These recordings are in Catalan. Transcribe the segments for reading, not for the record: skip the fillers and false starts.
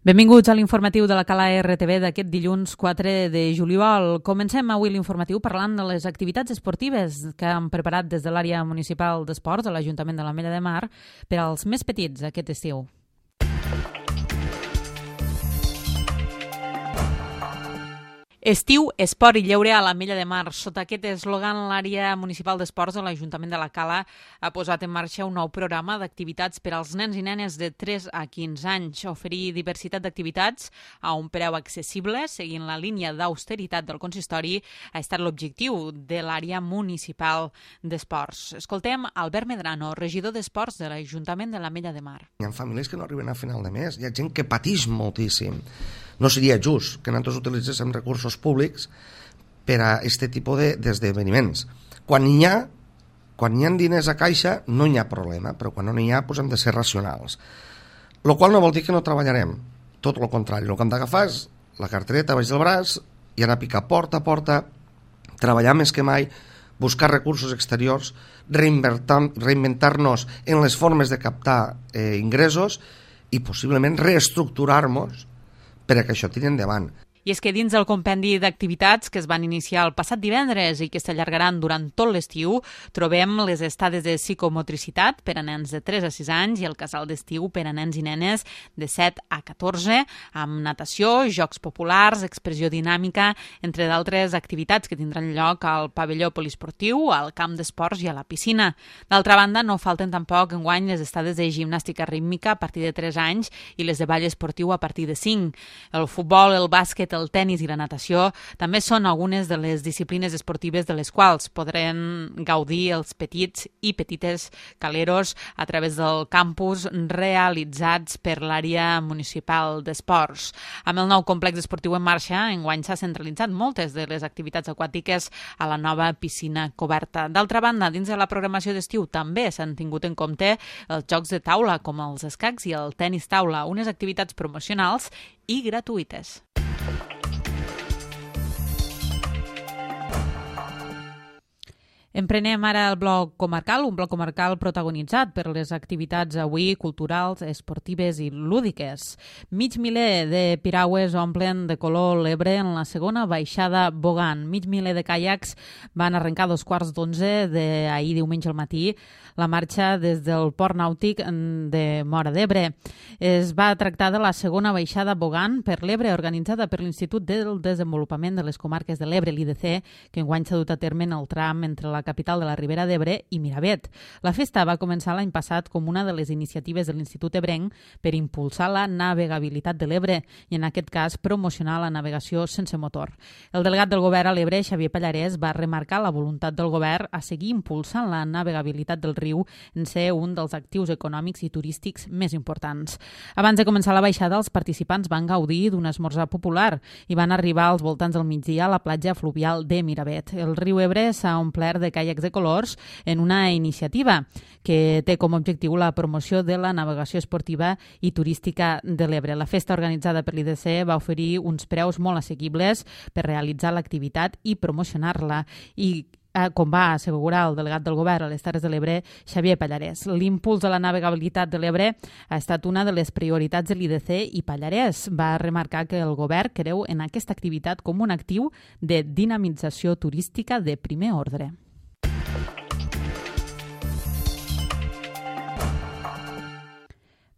Benvinguts a l'informatiu de la Cala RTV d'aquest dilluns 4 de juliol. Comencem avui l'informatiu parlant de les activitats esportives que han preparat des de l'àrea municipal d'esports de l'Ajuntament de l'Ametlla de Mar per als més petits aquest estiu. Estiu, esport i lleure a l'Ametlla de Mar. Sota aquest eslògan, l'àrea municipal d'esports de l'Ajuntament de la Cala ha posat en marxa un nou programa d'activitats per als nens i nenes de 3 a 15 anys. Oferir diversitat d'activitats a un preu accessible, seguint la línia d'austeritat del consistori, ha estat l'objectiu de l'àrea municipal d'esports. Escoltem Albert Medrano, regidor d'esports de l'Ajuntament de l'Ametlla de Mar. Hi ha famílies que no arriben a final de mes, hi ha gent que pateix moltíssim. No seria just que nosaltres utilitzéssim recursos públics per a aquest tipus d'esdeveniments. Quan hi ha diners a caixa no hi ha problema, però quan no n'hi ha hem de ser racionals. Lo qual no vol dir que no treballarem, tot el contrari. El que hem d'agafar és la cartereta baix del braç i anar a picar porta a porta, treballar més que mai, buscar recursos exteriors, reinventar-nos en les formes de captar ingressos i possiblement reestructurar-nos per a que això tiri endavant. I és que dins del compendi d'activitats que es van iniciar el passat divendres i que s'allargaran durant tot l'estiu, trobem les estades de psicomotricitat per a nens de 3 a 6 anys i el casal d'estiu per a nens i nenes de 7 a 14, amb natació, jocs populars, expressió dinàmica, entre d'altres activitats que tindran lloc al pavelló poliesportiu, al camp d'esports i a la piscina. D'altra banda, no falten tampoc enguany les estades de gimnàstica rítmica a partir de 3 anys i les de ball esportiu a partir de 5. El futbol, el bàsquet, el tennis i la natació també són algunes de les disciplines esportives de les quals podran gaudir els petits i petites caleros a través del campus realitzats per l'àrea municipal d'esports. Amb el nou complex esportiu en marxa, enguany s'ha centralitzat moltes de les activitats aquàtiques a la nova piscina coberta. D'altra banda, dins de la programació d'estiu també s'han tingut en compte els jocs de taula com els escacs i el tenis taula, unes activitats promocionals i gratuïtes. Emprenem ara el bloc comarcal, un bloc comarcal protagonitzat per les activitats avui culturals, esportives i lúdiques. Mig miler de piragües omplen de color l'Ebre en la segona baixada Bogan. Mig miler de caiacs van arrencar a 2:45 d'ahir diumenge al matí la marxa des del port nàutic de Móra d'Ebre. Es va tractar de la segona baixada Bogan per l'Ebre, organitzada per l'Institut del Desenvolupament de les Comarques de l'Ebre, l'IDC, que enguany s'ha dut a terme en el tram entre la capital de la Ribera d'Ebre i Miravet. La festa va començar l'any passat com una de les iniciatives de l'Institut Ebrenc per impulsar la navegabilitat de l'Ebre i, en aquest cas, promocionar la navegació sense motor. El delegat del govern a l'Ebre, Xavier Pallarès, va remarcar la voluntat del govern a seguir impulsant la navegabilitat del riu en ser un dels actius econòmics i turístics més importants. Abans de començar la baixada, els participants van gaudir d'un esmorzar popular i van arribar als voltants del migdia a la platja fluvial de Miravet. El riu Ebre s'ha omplert de caiacs de colors en una iniciativa que té com a objectiu la promoció de la navegació esportiva i turística de l'Ebre. La festa organitzada per l'IDC va oferir uns preus molt assequibles per realitzar l'activitat i promocionar-la i com va assegurar el delegat del govern a les Terres de l'Ebre, Xavier Pallarès. L'impuls de la navegabilitat de l'Ebre ha estat una de les prioritats de l'IDC i Pallarès va remarcar que el govern creu en aquesta activitat com un actiu de dinamització turística de primer ordre.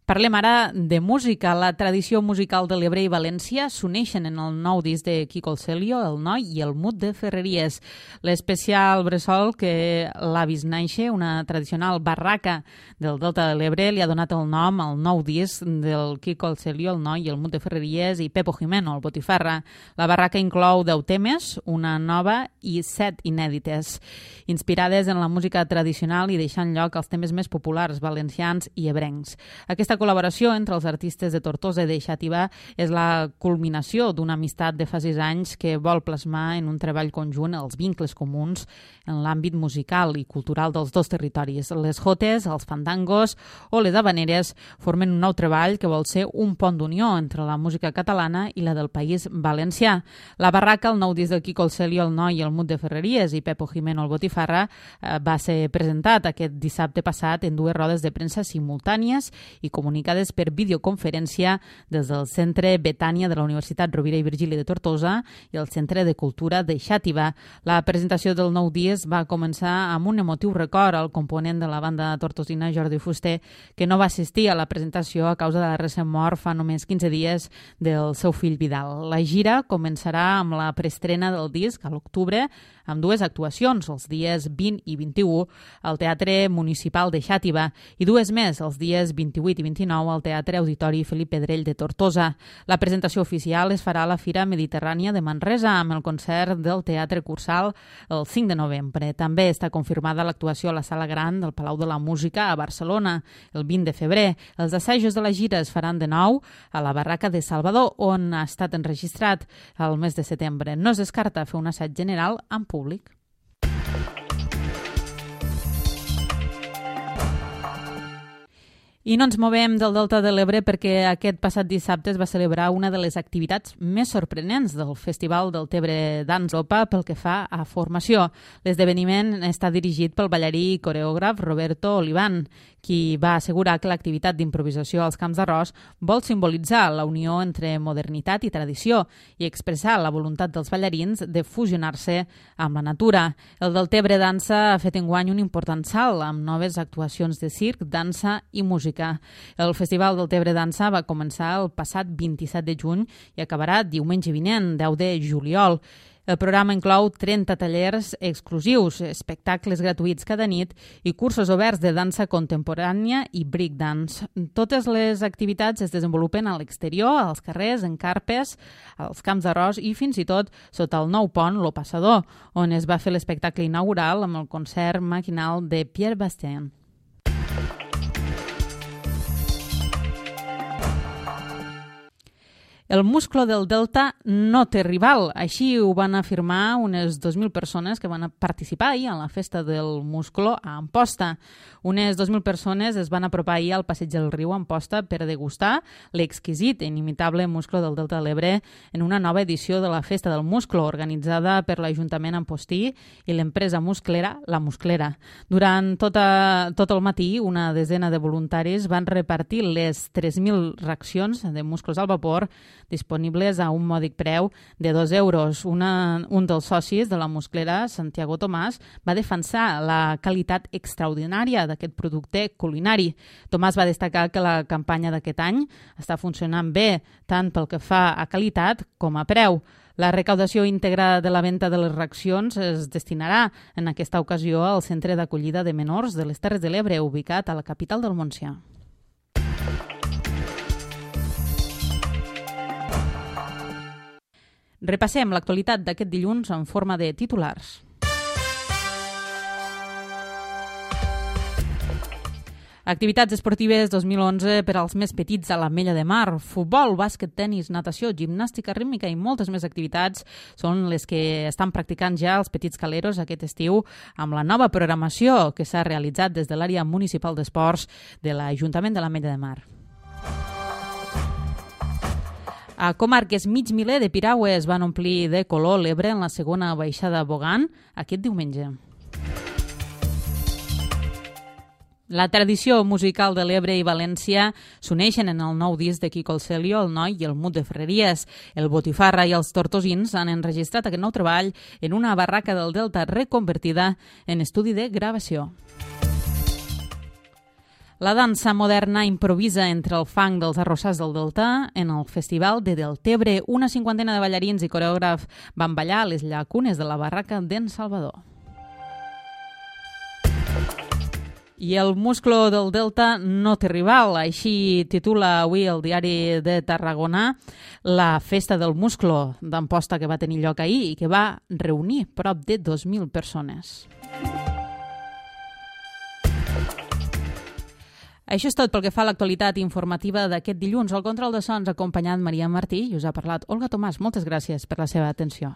Parlem ara de música. La tradició musical de l'Ebre i València s'uneixen en el nou disc de Quico el Celio, El Noi i el Mut de Ferreries. L'especial bressol que l'ha vist néixer, una tradicional barraca del Delta de l'Ebre, li ha donat el nom al nou disc del Quico el Celio, El Noi i el Mut de Ferreries i Pepo Jimeno, el Botifarra. La barraca inclou 10 temes, una nova i 7 inèdites, inspirades en la música tradicional i deixant lloc als temes més populars valencians i ebrencs. Aquesta col·laboració entre els artistes de Tortosa i de Xàtiva és la culminació d'una amistat de fa 6 anys que vol plasmar en un treball conjunt els vincles comuns en l'àmbit musical i cultural dels dos territoris. Les jotes, els fandangos o les habaneres formen un nou treball que vol ser un pont d'unió entre la música catalana i la del país valencià. La barraca, el nou disc del Quico el Celio, El Noi i el Mut de Ferreries i Pepo Jimeno, el Botifarra, va ser presentat aquest dissabte passat en 2 rodes de premsa simultànies i com comunicades per videoconferència des del Centre Betània de la Universitat Rovira i Virgili de Tortosa i el Centre de Cultura de Xàtiva. La presentació del nou disc va començar amb un emotiu record al component de la banda tortosina Jordi Fuster, que no va assistir a la presentació a causa de la recent mort fa només 15 dies del seu fill Vidal. La gira començarà amb la preestrena del disc a l'octubre, amb dues actuacions, els dies 20 i 21 al Teatre Municipal de Xàtiva i dues més, els dies 28 i 29 al Teatre Auditori Felip Pedrell de Tortosa. La presentació oficial es farà a la Fira Mediterrània de Manresa amb el concert del Teatre Cursal el 5 de novembre. També està confirmada l'actuació a la Sala Gran del Palau de la Música a Barcelona el 20 de febrer. Els assajos de la gira es faran de nou a la Barraca de Salvador, on ha estat enregistrat el mes de setembre. No es descarta fer un assaig general en públic. I no ens movem del Delta de l'Ebre perquè aquest passat dissabte es va celebrar una de les activitats més sorprenents del Festival del Tebre Dance Europa pel que fa a formació. L'esdeveniment està dirigit pel ballarí i coreògraf Roberto Olivan, qui va assegurar que l'activitat d'improvisació als Camps d'Arròs vol simbolitzar la unió entre modernitat i tradició i expressar la voluntat dels ballarins de fusionar-se amb la natura. El Deltebre Dansa ha fet enguany un important salt amb noves actuacions de circ, dansa i música. El Festival del Tebre Dansa va començar el passat 27 de juny i acabarà diumenge vinent, 10 de juliol. El programa inclou 30 tallers exclusius, espectacles gratuïts cada nit i cursos oberts de dansa contemporània i breakdance. Totes les activitats es desenvolupen a l'exterior, als carrers, en carpes, als Camps d'Arròs i fins i tot sota el nou pont Lo Passador, on es va fer l'espectacle inaugural amb el concert maquinal de Pierre Bastien. El musclo del Delta no té rival. Així ho van afirmar unes 2.000 persones que van participar ahir a la festa del musclo a Amposta. Unes 2.000 persones es van apropar ahir al passeig del riu Amposta per degustar l'exquisit i inimitable musclo del Delta de l'Ebre en una nova edició de la Festa del Musclo, organitzada per l'Ajuntament Ampostí i l'empresa musclera La Musclera. Durant tot el matí, una desena de voluntaris van repartir les 3.000 racions de musclos al vapor disponibles a un mòdic preu de 2 euros. Un dels socis de la musclera, Santiago Tomàs, va defensar la qualitat extraordinària d'aquest producte culinari. Tomàs va destacar que la campanya d'aquest any està funcionant bé, tant pel que fa a qualitat com a preu. La recaudació íntegra de la venda de les racions es destinarà en aquesta ocasió al Centre d'Acollida de Menors de les Terres de l'Ebre, ubicat a la capital del Montsià. Repassem l'actualitat d'aquest dilluns en forma de titulars. Activitats esportives 2011 per als més petits a l'Ametlla de Mar. Futbol, bàsquet, tenis, natació, gimnàstica rítmica i moltes més activitats són les que estan practicant ja els petits caleros aquest estiu amb la nova programació que s'ha realitzat des de l'àrea municipal d'esports de l'Ajuntament de l'Ametlla de Mar. A comarques mig miler de piragües van omplir de color l'Ebre en la segona baixada Bogan aquest diumenge. La tradició musical de l'Ebre i València s'uneixen en el nou disc de Quico el Celio, el Noi i el Mut de Ferreries. El Botifarra i els Tortosins han enregistrat aquest nou treball en una barraca del Delta reconvertida en estudi de gravació. La dansa moderna improvisa entre el fang dels arrossars del Delta en el Festival de Deltebre. Una cinquantena de ballarins i coreògrafs van ballar a les llacunes de la barraca d'en Salvador. I el musclo del Delta no té rival, així titula avui el diari de Tarragona la festa del musclo d'Amposta que va tenir lloc ahir i que va reunir prop de 2.000 persones. Això és tot pel que fa a l'actualitat informativa d'aquest dilluns. Al control de sons ha acompanyat Maria Martí i us ha parlat Olga Tomàs. Moltes gràcies per la seva atenció.